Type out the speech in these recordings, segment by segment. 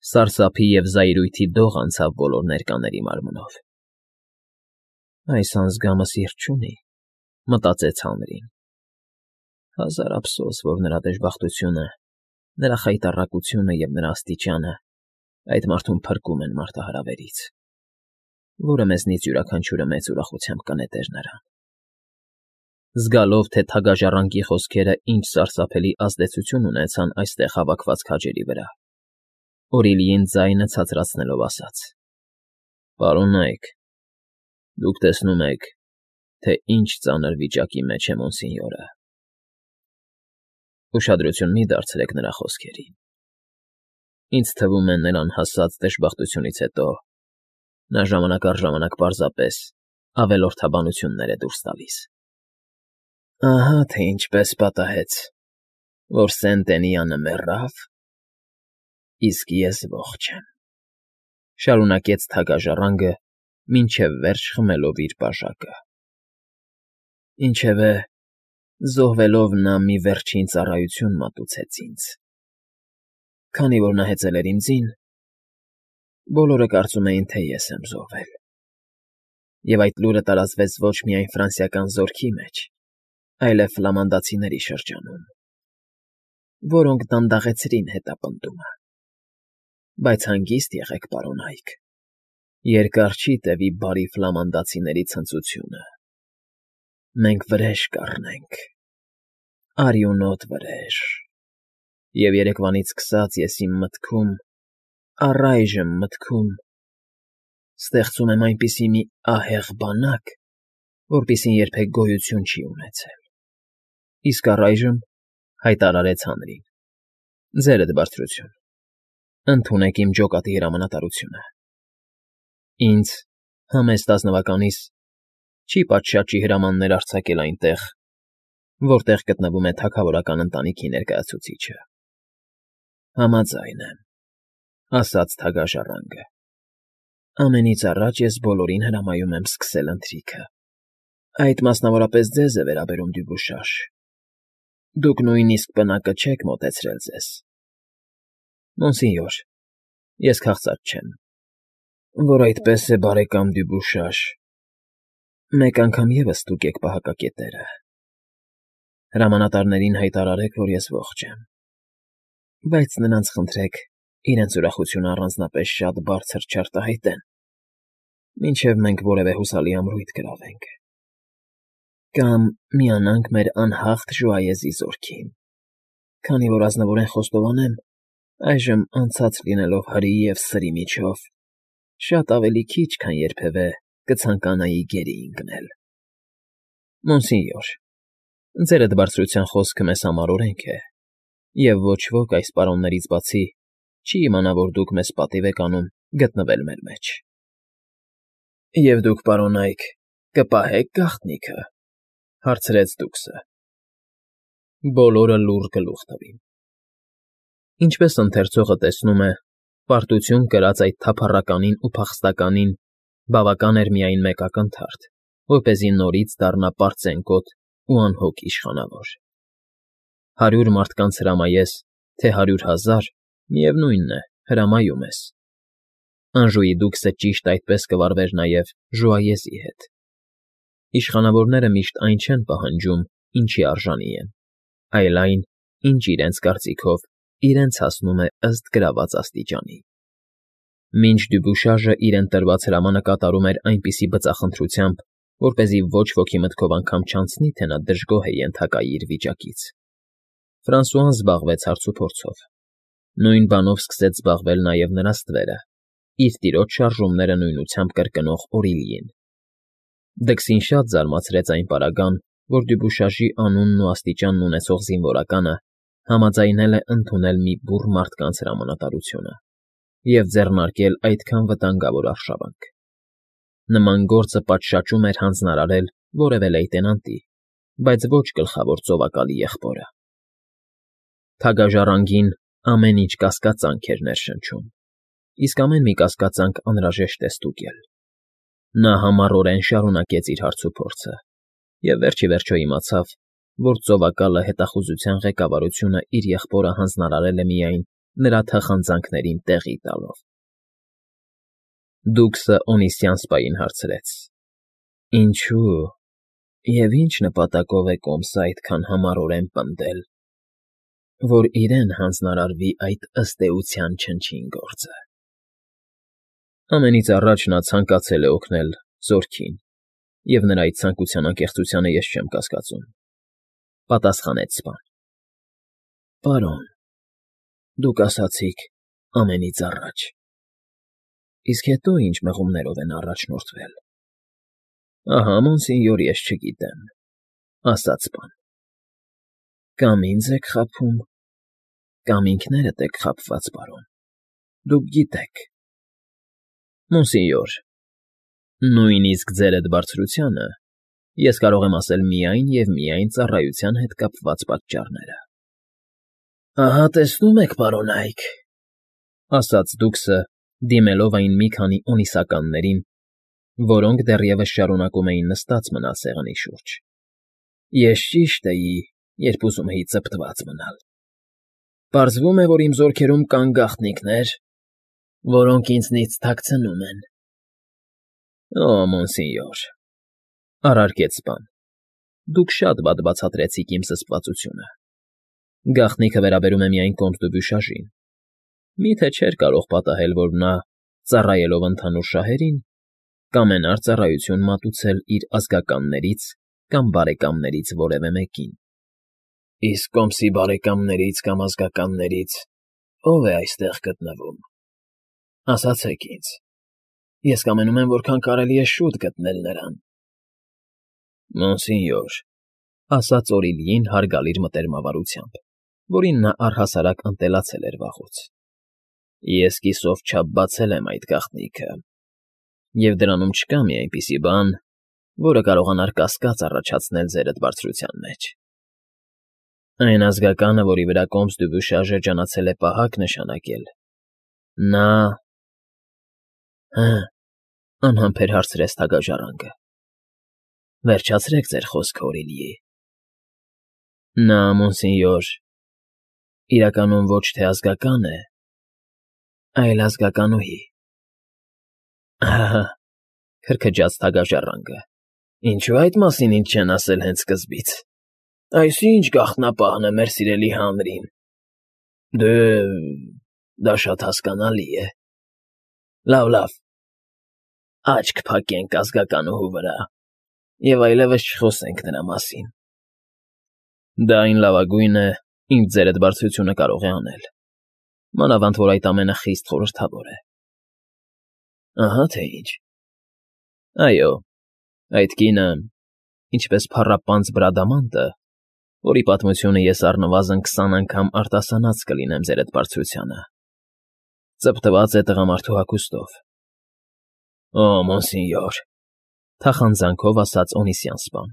Սարսափի և զայրույթի դող անցավ բոլոր ներկաների մարմնով։ «Այս անձգամը սիրտ չունի,֊ մտածեց Հանրին։֊ Հազար ափսոս, որ նրա դժբախտությունը, նրա խայտառակությունը և նրա աստիճանը այդ մարդուն փրկում են մարտահրավերից, որը մեզնից յուրաքանչյուրը մեծ ուրախությամբ կնետեր նրան»։ Զգալով, թե թագաժառանգի խոսքերը ինչ սարսափելի ազդեցություն ունեցան այստեղ հավաքված քաջերի վրա, Օրիլիին ձայնը ցածրացնելով ասաց. «Պարոննա՛յք, դուք տեսնում եք, թե ինչ ծանր վիճակի մեջ է մոնսինյորը։ Ուշադրություն մի՛ դարձրեք նրա խոսքերին. ինձ թվում է, նրան հասած դժբախտությունից հետո նա ժամանակ առ ժամանակ պարզապես ավելորդաբանություններ է դուրս տալիս։ Ահա թե ինչպես պատահեց, որ Սենտենյանը մեռավ, իսկ ես ողջ եմ,֊ շարունակեց թագաժառանգը, մինչև վերջ խմելով իր բաժակը։ Ինչևէ, զոհվելով նա մի վերջին ծառայություն մատուցեց ինձ։ Քանի որ նա հեծել էր իմ ձին, բոլորը կարծում էին, թե ես եմ զոհվել։ Եվ այդ լուրը տարածվեց ոչ միայն ֆրանսիական զորքի մեջ, այլև ֆլամանդացիների շրջանում, որոնք դանդաղեցրին հետապնդումը։ Բայց հանգիստ եղեք, պարոննա՛յք, երկար չի տևի բարի ֆլամանդացիների ցնծությունը։ Մենք վրեժ կառնենք, արյունոտ վրեժ, և երեկվանից սկսած ես իմ մտքում, առայժմ մտքում, ստեղծում եմ այնպիսի մի ահեղ բանակ, որպիսին երբեք գոյություն չի ունեցել։ Իսկ առայժմ,֊ հայտարարեց Հանրին,֊ ձերդ բարձրություն, ընդունեք իմ ջոկատի հրամանատարությունը։ Ինձ, համեստ ազնվականիս, չի պատշաճի հրամաններ արձակել այնտեղ, որտեղ գտնվում է թագավորական ընտանիքի ներկայացուցիչը։ Համաձայն եմ,֊ ասաց թագաժառանգը։ Ամենից առաջ ես բոլորին հրամայում եմ սկսել ընթրիքը։ Այդ մասնավորապես ձեզ է վերաբերում, Դյուբուշաշ, դուք նույնիսկ պնակը չեք մոտեցրել ձեզ։ Մոնսինյոր, ես քաղցած չեմ, որ այդպես է, բարեկամ Դյուբուշաշ, մեկ անգամ ևս ստուգեք պահակակետերը։ Հրամանատարներին հայտարարեք, որ ես ողջ եմ, բայց նրանց խնդրեք իրենց ուրախությունը առանձնապես շատ բարձր չարտահայտեն, մինչև մենք որևէ հուսալի ամրույթ գրավենք։ Կամ միանանք մեր անհաղթ Ժուայեզի զորքին, քանի որ ազնվորեն խոստովանեմ, այժմ անցած լինելով հրի և սրի միջով, շատ ավելի քիչ, քան երբևէ կցանկանայի գերի ընկնել։ Մոնսինյոր, ձերդ բարձրության խոսքը մեզ համար օրենք է, և ոչ ոք այս պարոններից բացի չի իմանա, որ դուք մեզ պատիվ եք անում գտնվել մեր մեջ։ Եվ դուք, պարոննա՛յք, կպահե՞ք գաղտնիքը,֊ հարցրեց դուքսը։ Բոլորը լուռ գլուխ տվին։ Ինչպես ընթերցողը տեսնում է, պարտություն կրած այդ թափառականին ու փախստականին բավական էր միայն մեկ ակնթարթ, որպեսզի նորից դառնա պարծենկոտ ու անհոգ իշխանավոր։ 100 մարդկանց հրամայես, թե 100,000, միևնույն է, հրամայում ես։ Անժուի դուքսը ճիշտ այդպես կվարվեր նաև Ժուայեզի հետ։ Իշխանավորները միշտ այն չեն պահանջում, ինչի արժանի են, այլ այն, ինչ իրենց կարծիքով իրենց հասնում է ըստ գրաված աստիճանի։ Մինչ Դյուբուշաժը իրեն տրված հրամանը կատարում էր այնպիսի բծախնդրությամբ, որպեսզի ոչ ոքի մտքով անգամ չանցնի, թե նա դժգոհ է ենթակայի իր վիճակից, Ֆրանսուան զբաղվեց հարցուփորձով։ Նույն բանով սկսեց զբաղվել նաև նրա ստվերը, իր տիրոջ շարժումները նույնությամբ կրկնող Օրիլիին։ Դքսին շատ զարմացրեց այն պարագան, որ Դյուբուշաժի անունն ու աստիճանն ունեցող զինվորականը համաձայնել է ընդունել մի բուռ մարդկանց հրամանատարությունը և ձեռնարկել այդքան վտանգավոր արշավանք։ Նման գործը պատշաճում էր հանձնարարել որևէ լեյտենանտի, բայց ոչ գլխավոր ծովակալի եղբորը։ Թագաժառանգին ամեն ինչ կասկածանք էր ներշնչում, իսկ ամեն մի կասկածանք անհրաժեշտ է ստուգել։ Նա համառորեն շարունակեց իր հարցուփորձը և վերջ ի վերջո իմացավ, որ ծովակալը հետախուզության ղեկավարությունը իր եղբորը հանձնարարել է միայն նրա թախանձանքներին տեղի տալով։ Դուքսը Օնիսյան սպային հարցրեց. Ինչու և ինչ նպատակով է կոմսը այդքան համառորեն պնդել, որ իրեն հանձնարարվի այդ ըստ էության չնչին գործը։ Ամենից առաջ նա ցանկացել է օգնել Զորքին, և նրա այդ ցանկության անկեղծությանը ես չեմ կասկածում,֊ պատասխանեց սպան։ Պարոն, դուք ասացիք ամենից առաջ, իսկ հետո ինչ մղումներով են առաջնորդվել։ Ահա, մոնսինյոր, ես չգիտեմ,֊ ասաց սպան։ Կամ ինձ եք խաբում, կամ ինքներդ եք խաբված, պարոն, դուք գիտեք։ Մոնսինյոր, նույնիսկ ձեր էդ բարձրությանը ես կարող եմ ասել միայն և միայն ծառայության հետ կապված պատճառները։ Ահա տեսնում եք, պարոն Այք,֊ ասաց դուքսը, դիմելով այն մի քանի օնիսականներին, որոնք դեռևս շարունակում էին նստած մնալ սեղանի շուրջ։ Ես ճիշտ էի, երբ ուզում էի ծպտված մնալ։ Պարզվում է, որ իմ զորքերում կան գաղտնիքներ, որոնք ինձնից թաքցնում են։ Օ, մոնսինյոր,֊ առարկեց սպան,֊ դուք շատ վատ բացատրեցիք իմ զսպվածությունը։ Գաղտնիքը վերաբերում է միայն կոմտ Դյուբյուշաժին։ Մի՞թե չէր կարող պատահել, որ նա, ծառայելով ընդհանուր շահերին, կամենար ծառայություն մատուցել իր ազգականներից կամ բարեկամներից որևէ մեկին։ Իսկ կոմսի բարեկամներից կամ ազգականներից ո՞վ է այստեղ գտնվում, ասացեք ինձ, ես կամենում եմ որքան կարելի է շուտ գտնել նրան։ Մոնսինյոր,֊ ասաց Օրիլիին հարգալից մտերմավարությամբ, որին նա առհասարակ ընտելացել էր վաղուց,֊ ես կիսով չափ բացել եմ այդ գաղտնիքը, և դրանում չկա մի այնպիսի բան, որը կարողանար կասկած առաջացնել ձեր էդ բարձրության մեջ։ Այն ազգականը, որի վրա կոմս Դյուբյուշաժը ջանացել է պահակ նշանակել, նա… Հը, անհամբեր հարցրեց թագաժառանգը։ Վերջացրեք ձեր խոսքը, Օրիլի… Նա, մոնսինյոր, իրականում ոչ թե ազգական է, այլ ազգականուհի։ Ահա,֊ քրքջաց թագաժառանգը,֊ ինչո՞ւ այդ մասին ինձ չեն ասել հենց սկզբից։ Այս ի՞նչ գաղտնապահն է մեր սիրելի հանրին։ Դա շատ հասկանալի է։ Լավ, աչք փակենք ազգականուհու վրա և այլևս չխոսենք նրա մասին։ Դա այն լավագույնն է, ինչ ձեր էդ բարձրությունը կարող է անել, մանավանդ որ այդ ամենը խիստ խորհրդավոր է։ Ահա թե ինչ։ Այո, այդ կինը, ինչպես փառապանծ Բրադամանտը, որի պատմությունը ես առնվազն 20 անգամ արտասանած կլինեմ ձեր էդ բարձրությանը, ծպտված է տղամարդու հագուստով։ Օ, մոնսինյոր,֊ թախանձանքով ասաց Օնիսյան սպան,֊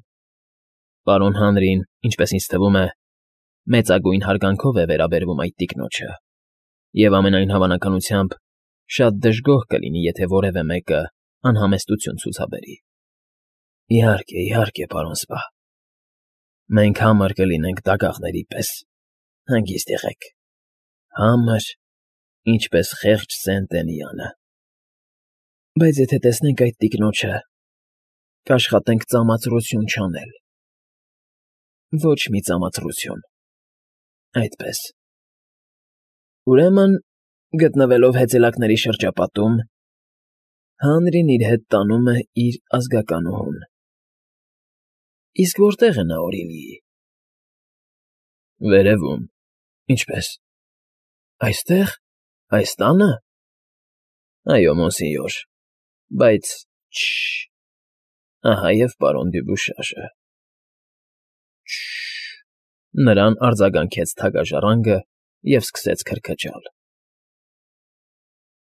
պարոն հանրին, ինչպես ինձ թվում է, մեծագույն հարգանքով է վերաբերվում այդ տիկնոջը, և ամենայն հավանականությամբ շատ դժգոհ կլինի, եթե որևէ մեկը անհամեստություն ցուցաբերի։ Իհարկե, պարոն սպա, մենք համր կլինենք դագաղների պես, հանգիստ եղեք, համր, ինչպես խեղճ Սեն֊Տենյանը։ Բայց եթե տեսնենք այդ տիկնոջը, կաշխատենք ծամացրություն չանել։ Ոչ մի ծամացրություն, այդպես։ Ուրեմն, գտնվելով հեծելակների շրջապատում, հանրին իր հետ տանում է իր ազգականուհուն։ Իսկ որտե՞ղ է նա, Օրիլի։ Վերևում։ Ինչպե՞ս։ Այստե՞ղ, այս տա՞նը։ Այո, մոնսինյոր, բայց… Շ… Ահա և պարոն Դյուբյուշաժը։ Շ… Նրան արձագանքեց թագաժառանգը և սկսեց քրքջալ։